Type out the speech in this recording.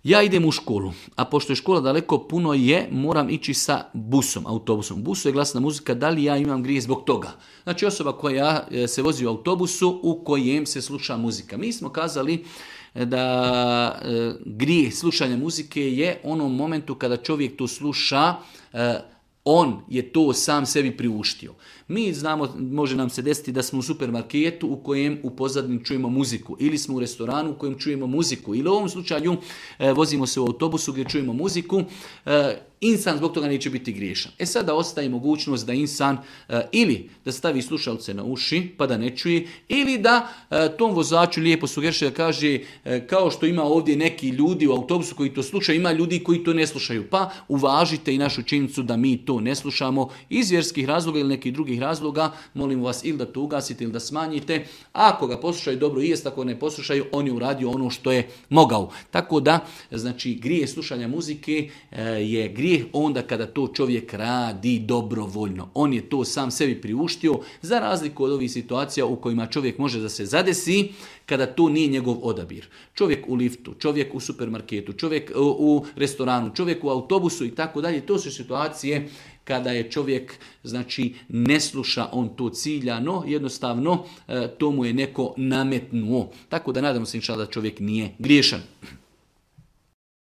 Ja idem u školu, a pošto je škola daleko, puno je, moram ići sa busom, autobusom. U busu je glasna muzika, da li ja imam grijeh zbog toga? Znači osoba koja se vozi u autobusu u kojem se sluša muzika. Mi smo kazali da grijeh slušanja muzike je onom momentu kada čovjek to sluša, on je to sam sebi priuštio. Mi znamo, može nam se desiti da smo u supermarketu u kojem u pozadini čujemo muziku, ili smo u restoranu u kojem čujemo muziku, ili u ovom slučaju vozimo se u autobusu gdje čujemo muziku. Insan zbog toga neće biti griješan. Sada ostaje mogućnost da insan ili da stavi slušalce na uši pa da ne čuje, ili da tom vozaču lijepo sugeriše da kaže kao što ima ovdje neki ljudi u autobusu koji to slušaju, ima ljudi koji to ne slušaju. Pa uvažite i našu činjenicu da mi to ne slušamo iz vjerskih razloga ili nekih drugih razloga. Molimo vas ili da to ugasite ili da smanjite. Ako ga poslušaju dobro i jest, ako ne poslušaju, on je uradio ono što je mogao. Tako da, znači, grijeh slušanja muzike je grijeh onda kada to čovjek radi dobrovoljno. On je to sam sebi priuštio, za razliku od ovih situacija u kojima čovjek može da se zadesi kada to nije njegov odabir. Čovjek u liftu, čovjek u supermarketu, čovjek u restoranu, čovjek u autobusu i tako dalje. To su situacije kada je čovjek, znači, ne sluša on to ciljano, jednostavno to mu je neko nametnuo. Tako da nadamo se inšallah da čovjek nije griješan.